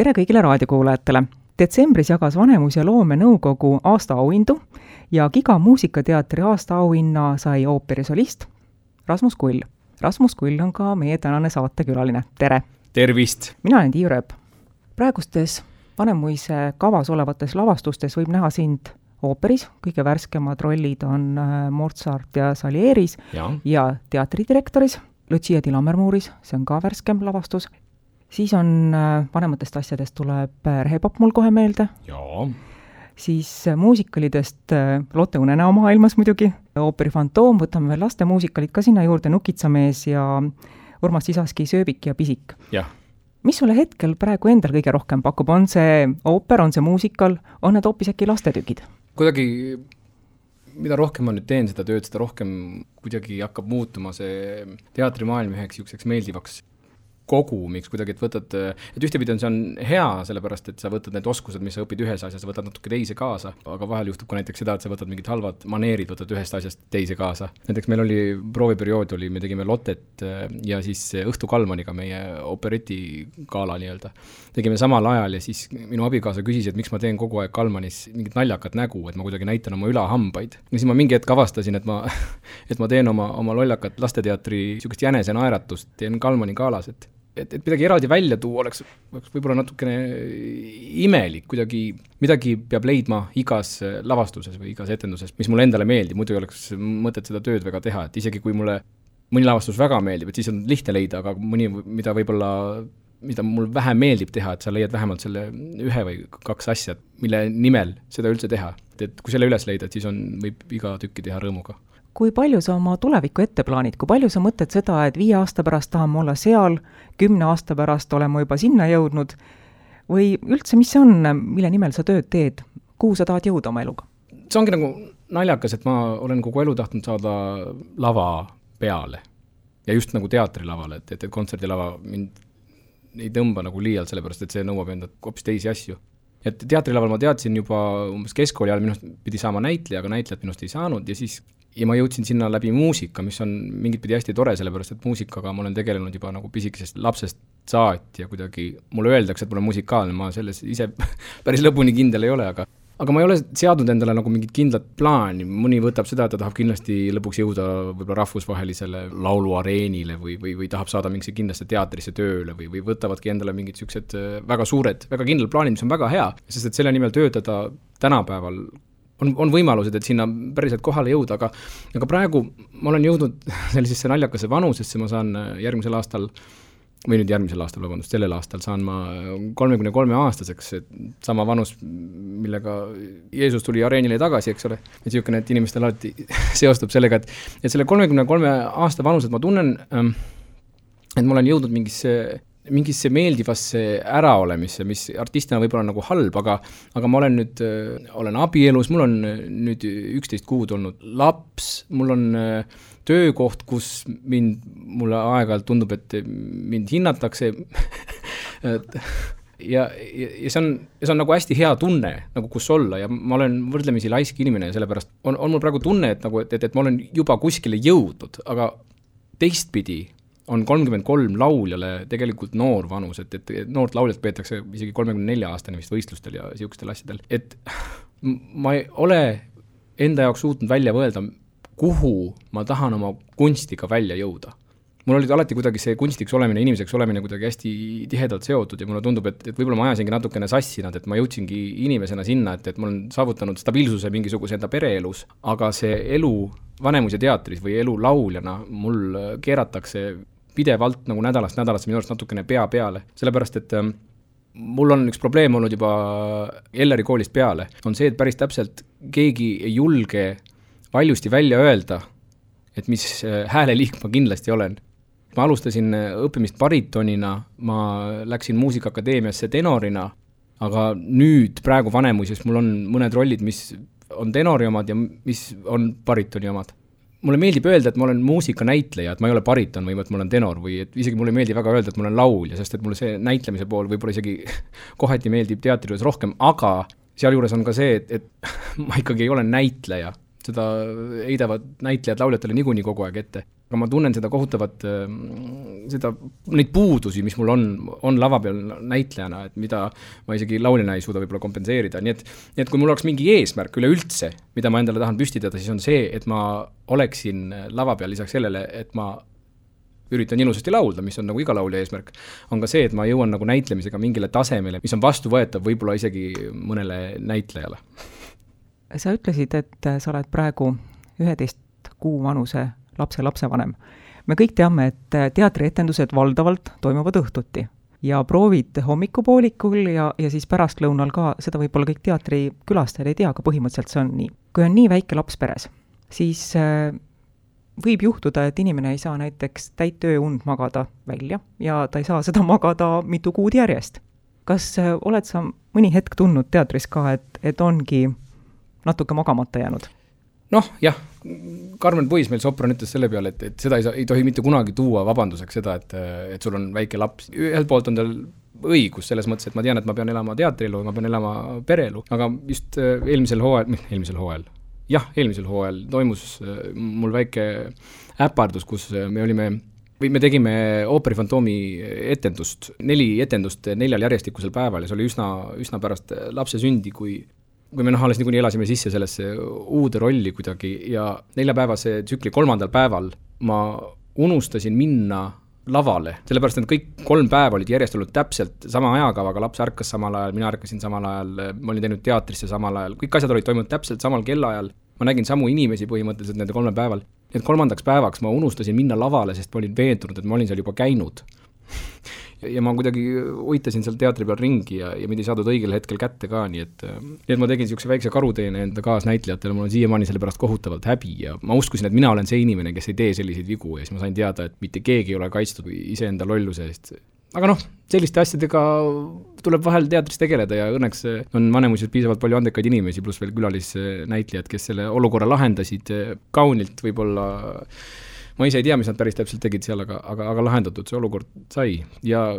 Tere kõigile raadiokuulajatele! Detsembris jagas Vanemuise loomenõukogu aastaauhindu ja Giga muusikateatri aastaauhinna sai ooperisolist Rasmus Kull. Rasmus Kull on ka meie tänane saatekülaline. Tere! Tervist! Mina olen Tiiu Rööp. Praegustes Vanemuise kavas olevates lavastustes võib näha sind ooperis. Kõige värskemad rollid on Mozart ja Salieris ja teatridirektoris Lucia di Lammermooris, see on ka värskem lavastus. Siis on vanematest asjadest tuleb Rehepap mul kohe meelde. Jaa. Siis muusikalidest Lotte Unenäo maailmas muidugi. Ooperi Fantoom, võtame veel laste muusikalid ka sinna juurde, Nukitsamees ja Urmas Sisaski Sööbik ja Pisik. Jah. Mis sulle hetkel praegu endal kõige rohkem pakub? On see ooper, on see muusikal, on need hoopis äkki lastetükid? Kuidagi, mida rohkem ma nüüd teen seda tööd, seda rohkem kuidagi hakkab muutuma see teatrimaailm üheks niisuguseks meeldivaks kogumiks kuidagi, et võtad, et ühtepidi on see on hea, sellepärast, et sa võtad need oskused, mis sa õpid ühes asjas, võtad natuke teise kaasa, aga vahel juhtub ka näiteks seda, et sa võtad mingid halvad maneerid, võtad ühest asjast teise kaasa. Näiteks meil oli prooviperiood, me tegime Lottet ja siis Õhtu Kalmaniga meie operetigala nii-öelda. Tegime samal ajal ja siis minu abikaasa küsis, et miks ma teen kogu aeg Kalmanis mingit naljakat nägu, et ma kuidagi näitan oma ülahambaid. Ja siis ma mingi hetk avastasin, et ma teen oma lollakat lasteteatri niisugust jänese naeratust, teen Kalmani galas, et midagi eraldi välja tuua oleks võib-olla natukene imelik, kuidagi midagi peab leidma igas lavastuses või igas etenduses, mis mulle endale meeldib, muidu ei oleks mõtet seda tööd väga teha, et isegi kui mulle mõni lavastus väga meeldib, et siis on lihtne leida, aga mõni, mida mul vähem meeldib teha, et sa leiad vähemalt selle ühe või kaks asja, mille nimel seda üldse teha. Et kui selle üles leida, siis võib iga tükki teha rõõmuga. Kui palju sa oma tuleviku ette plaanid? Kui palju sa mõtled seda, et 5 aasta pärast tahame olla seal, 10 aasta pärast olema juba sinna jõudnud? Või üldse, mis see on, mille nimel sa tööd teed? Kuhu sa tahad jõuda oma eluga? See ongi nagu naljakas, et ma olen kogu elu tahtnud saada lava peale. Ja just nagu teatrilavale, et kontserdilava mind ei tõmba nagu liialt, sellepärast, et see nõuab enda hoopis teisi asju. Et teatrilaval ma teadsin juba umbes keskkooli ajal, minust pidi saama näitleja, aga näitlejat minust ei saanud ja ma jõudsin sinna läbi muusika, mis on mingit pidi hästi tore, sellepärast, et muusikaga ma olen tegelenud juba nagu pisikesest lapsest saati ja kuidagi mulle öeldakse, et ma olen musikaalne, ma selles ise päris lõpuni kindel ei ole, aga ma ei ole seadnud endale nagu mingit kindlat plaani, mõni võtab seda, et ta tahab kindlasti lõpuks jõuda võib-olla rahvusvahelisele lauluareenile või tahab saada mingisse kindlasse teatrisse tööle või võtavadki endale mingid siuksed väga suured, väga kindlad plaanid, mis on väga hea, sest et selle nimel töötada tänapäeval on võimalused, et sinna päriselt kohale jõuda, aga praegu ma olen jõudnud sellisesse naljakase vanusesse, ma saan sellel aastal saan ma 33-aastaseks, sama vanus, millega Jeesus tuli areenile tagasi, eks ole. Et siukene, et inimestel alati seostub sellega, et selle 33 aasta vanused ma tunnen, et ma olen jõudnud mingisse meeldivasse äraolemisse, mis artistina võib-olla nagu halb, aga ma olen abielus, mul on nüüd 11 kuud olnud laps, mul on töökoht, kus mulle aeg-ajalt tundub, et mind hinnatakse ja see on nagu hästi hea tunne, nagu kus olla ja ma olen võrdlemisi laisk inimene ja sellepärast on mul praegu tunne, et ma olen juba kuskile jõudnud, aga teistpidi on 33 lauljale tegelikult noor vanus, et noort lauljat peetakse isegi 34 aastane vist võistlustel ja siukstel asjadel, et ma ei ole enda jaoks suutnud välja võelda, kuhu ma tahan oma kunstiga välja jõuda. Mul oli alati kuidagi see kunstiks olemine, inimeseks olemine kuidagi hästi tihedalt seotud ja mulle tundub, et võib-olla ma ajasingi natukene sassi nad, et ma jõudsingi inimesena sinna, et ma olen saavutanud stabiilsuse mingisuguse enda pereelus, aga see elu Vanemuise teatris või elu lauljana mul keeratakse pidevalt nagu nädalast minu arust natukene pea peale, sellepärast, et mul on üks probleem olnud juba Elleri koolist peale, on see, et päris täpselt keegi ei julge valjusti välja öelda, et mis hääleliik ma kindlasti olen. Ma alustasin õppimist baritonina, ma läksin muusikaakadeemiasse tenorina, aga nüüd praegu Vanemuises mul on mõned rollid, mis on tenori omad ja mis on baritoni omad. Mulle meeldib öelda, et ma olen muusikanäitleja, et ma ei ole bariton või et ma olen tenor või et isegi mulle meeldib väga öelda, et ma olen laulja, sest et mulle see näitlemise pool võib-olla isegi kohati meeldib teatrijuures rohkem, aga sealjuures on ka see, et ma ikkagi ei ole näitleja. seda heidavad näitlejad lauljatele niikuinii kogu aeg ette. Aga ma tunnen seda kohutavat, neid puudusi, mis mul on lava peal näitlejana, et mida ma isegi lauljana ei suuda võib-olla kompenseerida. Nii et kui mul oleks mingi eesmärk üleüldse, mida ma endale tahan püstitada, siis on see, et ma oleksin lava peal lisaks sellele, et ma üritan ilusasti laulda, mis on nagu iga laulja eesmärk, on ka see, et ma jõuan nagu näitlemisega mingile tasemele, mis on vastuvõetav võib-olla isegi mõnele näitlejale. Sa ütlesid, et sa oled praegu 11 kuu vanuse lapsevanem. Me kõik teame, et teatrietendused valdavalt toimuvad õhtuti ja proovid hommikupoolikul ja siis pärastlõunal ka, seda võib-olla kõik teatrikülastajad ei tea, aga põhimõtteliselt see on nii. Kui on nii väike laps peres, siis võib juhtuda, et inimene ei saa näiteks täit ööund magada välja ja ta ei saa seda magada mitu kuud järjest. Kas oled sa mõni hetk tundnud teatris ka, et ongi natuke magamata jäänud? Noh, jah, Karmen Puis meil sopran ütles selle peale, et seda ei tohi mitte kunagi tuua vabanduseks seda, et sul on väike laps. Ühelt poolt on tal õigus selles mõttes, et ma tean, et ma pean elama teatrielu, ma pean elama pereelu, aga just eelmisel hooajal toimus mul väike äpardus, kus me tegime Ooperi Fantoomi etendust, 4 etendust 4 järjestikusel päeval ja see oli üsna pärast lapse sündi, kui me alles niikuinii elasime sisse sellesse uude rolli kuidagi ja 4-päevase tsükli 3. päeval ma unustasin minna lavale, sellepärast et kõik 3 päeva olid järjest olnud täpselt sama ajakavaga, laps ärkas samal ajal, mina ärkasin samal ajal, ma olin teinud teatrisse samal ajal, kõik asjad olid toimunud täpselt samal kellaajal, ma nägin samu inimesi põhimõtteliselt nende 3 päeval, et 3. päevaks ma unustasin minna lavale, sest ma olin veendunud, et ma olin seal juba käinud. Ja ma kuidagi hoitasin seal teatri peal ringi ja mind ei saadud õigel hetkel kätte ka, nii et ma tegin siukse väikse karuteene enda kaasnäitlejatele, mul on siiamaani selle pärast kohutavalt häbi ja ma uskusin, et mina olen see inimene, kes ei tee selliseid vigu ja siis ma sain teada, et mitte keegi ei ole kaitstud iseenda lolluse eest. Aga selliste asjadega tuleb vahel teatris tegeleda ja õnneks on Vanemuises piisavalt palju andekaid inimesi, pluss veel külalisnäitlejad, kes selle olukorra lahendasid kaunilt võib-olla. Ma ise ei tea, mis nad päris täpselt tegid seal, aga lahendatud see olukord sai. Ja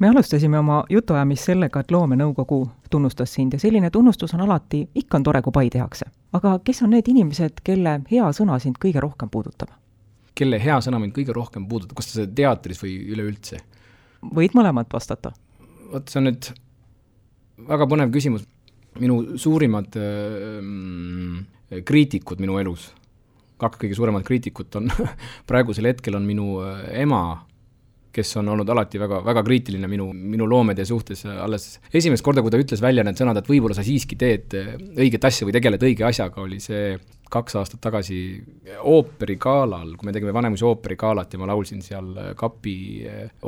Me alustasime oma jutuajamist sellega, et loomenõukogu tunnustas sind ja selline tunnustus on alati, ikka on tore, kui pai tehakse. Aga kes on need inimesed, kelle hea sõna sind kõige rohkem puudutab? Kelle hea sõna mind kõige rohkem puudutab? Kas see teatris või üleüldse? Võid mõlemat vastata. Vot see on nüüd väga põnev küsimus. Minu suurimad kriitikud minu elus, 2 kõige suuremad kriitikut on praegusel hetkel on minu ema, kes on olnud alati väga, väga kriitiline minu loomede suhtes. Alles esimest korda, kui ta ütles välja need sõnad, et võib-olla sa siiski teed õiget asja või tegeled õige asjaga, oli see 2 aastat tagasi ooperikaalal, kui me tegime Vanemuise ooperikaalat ja ma laulsin seal Kapi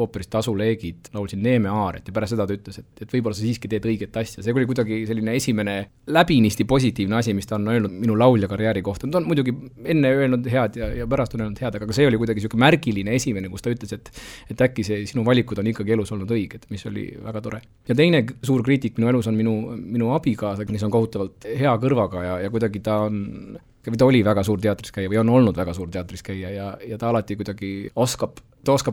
ooperist Tasuleegid, laulsin Neeme Aaret ja pärast seda ta ütles, et võib-olla sa siiski teed õiget asja. See oli kuidagi selline esimene läbinisti positiivne asi, mis ta on öelnud minu laulja karjääri kohta. Ta on muidugi enne öelnud head ja pärast on öelnud head, aga see oli kuidagi selline märgiline esimene, kus ta ütles, et äkki see sinu valikud on ikkagi elus olnud õiged, mis oli väga tore. Ja teine suur kriitik minu elus on minu abikaasa, kes on kohutavalt hea kõrvaga ja kuidagi ta oli väga suur teatris käia või on olnud väga suur teatris käia ja ta alati kuidagi oskab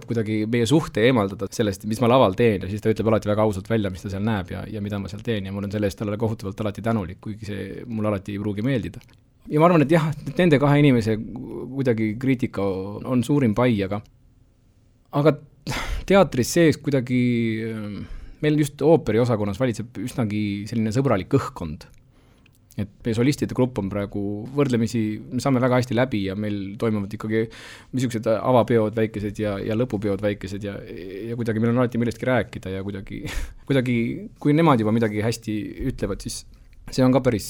kuidagi meie suhte eemaldada sellest, mis ma laval teen ja siis ta ütleb alati väga ausalt välja, mis ta seal näeb ja mida ma seal teen ja mul on selle eest talle kohutavalt alati tänulik, kuigi see mul alati ei pruugi meeldida. Ja ma arvan, et jah, nende 2 inimese kuidagi kriitika on suurim pai, aga teatris sees kuidagi meil just ooperi osakonnas valitseb üsnagi selline sõbralik õhkkond. Et meie solistide grupp on praegu võrdlemisi, me saame väga hästi läbi ja meil toimuvad ikkagi missugused avapeod väikesed ja lõpupeod väikesed ja kuidagi meil on alati millestki rääkida ja kuidagi kui nemad juba midagi hästi ütlevad, siis see on ka päris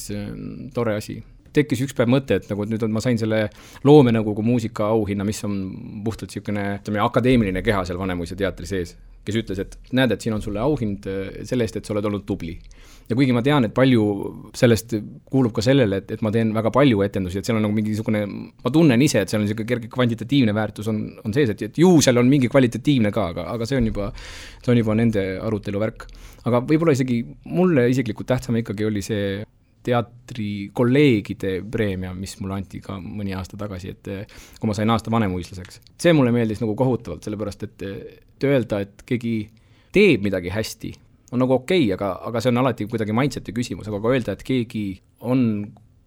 tore asi. Tekkis üks päev mõte, et nagu nüüd ma sain selle loomenõukogu muusika auhinna, mis on puhtalt selline akadeemiline keha seal Vanemuise teatri sees, kes ütles, et näed, et siin on sulle auhind selle eest, et sa oled olnud tubli. Ja kuigi ma tean, et palju sellest kuulub ka sellele, et ma teen väga palju etendusi, et seal on nagu mingisugune, ma tunnen ise, et seal on selline kerge kvantitatiivne väärtus on sees, et ju seal on mingi kvalitatiivne ka, aga see on juba nende arutelu värk. Aga võib-olla isegi mulle isiklikult tähtsam ikkagi oli see teatri kolleegide preemia, mis mulle anti ka mõni aasta tagasi, et kui ma sain aasta vanemuislaseks. See mulle meeldis nagu kohutavalt, sellepärast, et öelda, et keegi teeb midagi hästi, on nagu okei, aga see on alati kuidagi mindseti küsimus, aga kui öelda, et keegi on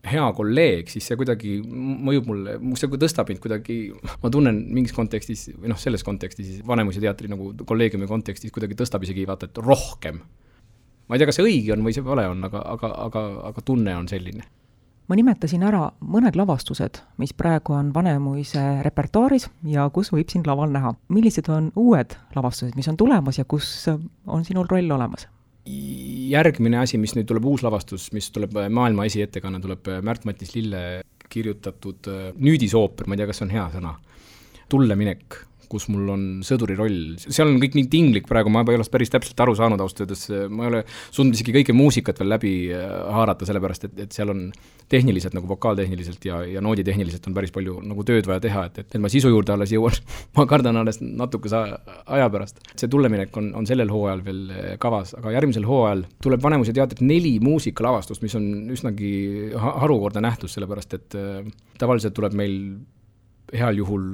hea kolleeg, siis see kuidagi mõjub mulle, see tõstab mind kuidagi, ma tunnen mingis kontekstis, või selles kontekstis, Vanemuise teatri nagu kolleegiumi kontekstis kuidagi tõstab isegi vaata, et rohkem. Ma ei tea, kas see õige on või see vale on, aga tunne on selline. Ma nimetasin ära mõned lavastused, mis praegu on Vanemuise repertuaaris ja kus võib sind laval näha. Millised on uued lavastused, mis on tulemas ja kus on sinul roll olemas? Järgmine asi, mis nüüd tuleb uus lavastus, mis tuleb maailma esiettekanne, tuleb Märt-Matis Lille kirjutatud nüüdisooper, ma ei tea, kas on hea sõna, Tulleminek, kus mul on sõduri roll. Seal on kõik nii tinglik praegu, ma ei ole päris täpselt aru saanud austöödes, ma ei ole suutnud isegi kõike muusikat veel läbi haarata, sellepärast, et seal on tehniliselt, nagu vokaaltehniliselt ja nooditehniliselt on päris palju nagu tööd vaja teha, et ma sisu juurde alles jõuan, ma kardan alles natukese aja pärast. See Tulleminek on sellel hooajal veel kavas, aga järgmisel hooajal tuleb Vanemuise teatrit 4 muusikalavastust, mis on üsnagi harukordne nähtus, sellepärast, et tavaliselt tuleb meil heal juhul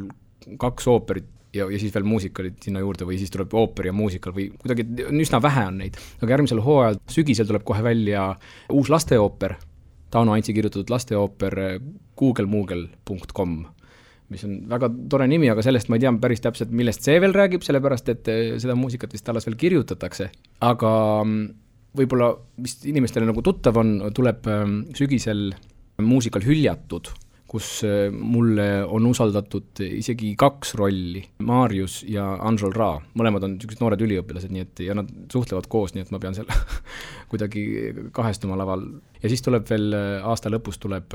2 ooperit ja siis veel muusikalid sinna juurde või siis tuleb ooper ja muusikal või kuidagi üsna vähe on neid. Aga järgmisel hooajal sügisel tuleb kohe välja uus lasteooper, Tauno Antsi kirjutatud lasteooper googlemoogel.com, mis on väga tore nimi, aga sellest ma ei tea päris täpselt, millest see veel räägib, sellepärast et seda muusikat vist alles veel kirjutatakse. Aga võib-olla, mis inimestele nagu tuttav on, tuleb sügisel muusikal Hüljatud, kus mulle on usaldatud isegi 2 rolli, Marius ja Anžol Ra. Mõlemad on sellised noored üliõpilased, nii et, ja nad suhtlevad koos, nii et ma pean seal kuidagi kahestuma laval. Ja siis tuleb veel aasta lõpus tuleb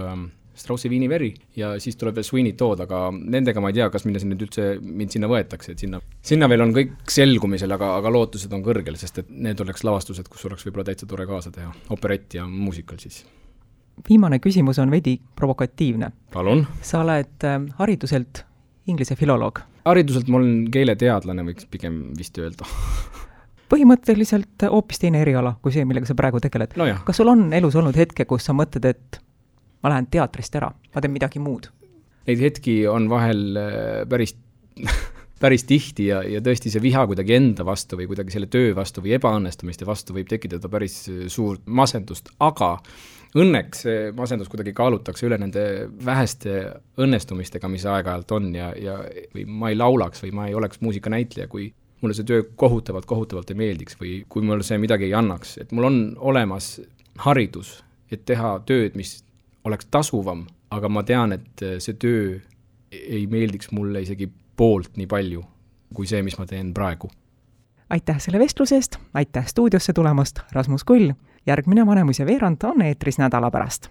Straussi Viiniveri ja siis tuleb veel Sweeney Todd, aga nendega ma ei tea, kas mind sinna võetakse, et sinna veel on kõik selgumisel, aga lootused on kõrgel, sest et need oleks lavastused, kus oleks võib-olla täitsa tore kaasa teha, operett ja muusikal siis. Viimane küsimus on veidi provokatiivne. Palun. Sa oled hariduselt inglise filoloog. Hariduselt ma olen keeleteadlane, võiks pigem vist öelda. Põhimõtteliselt hoopis teine eriala kui see, millega sa praegu tegeled. No jah. Kas sul on elus olnud hetke, kus sa mõtled, et ma lähen teatrist ära, ma teen midagi muud? Neid hetki on vahel päris tihti ja tõesti see viha kuidagi enda vastu või kuidagi selle töö vastu või ebaõnnestumiste vastu võib tekitada päris suurt masendust, aga õnneks see masendus kuidagi kaalutakse üle nende väheste õnnestumistega, mis aeg-ajalt on ja või ma ei laulaks või ma ei oleks muusikanäitleja, kui mulle see töö kohutavalt ei meeldiks või kui mulle see midagi ei annaks. Et mul on olemas haridus, et teha tööd, mis oleks tasuvam, aga ma tean, et see töö ei meeldiks mulle isegi poolt nii palju kui see, mis ma teen praegu. Aitäh selle vestlusest, aitäh stuudiosse tulemast, Rasmus Kull. Järgmine Vanemuise veerand on eetris nädala pärast.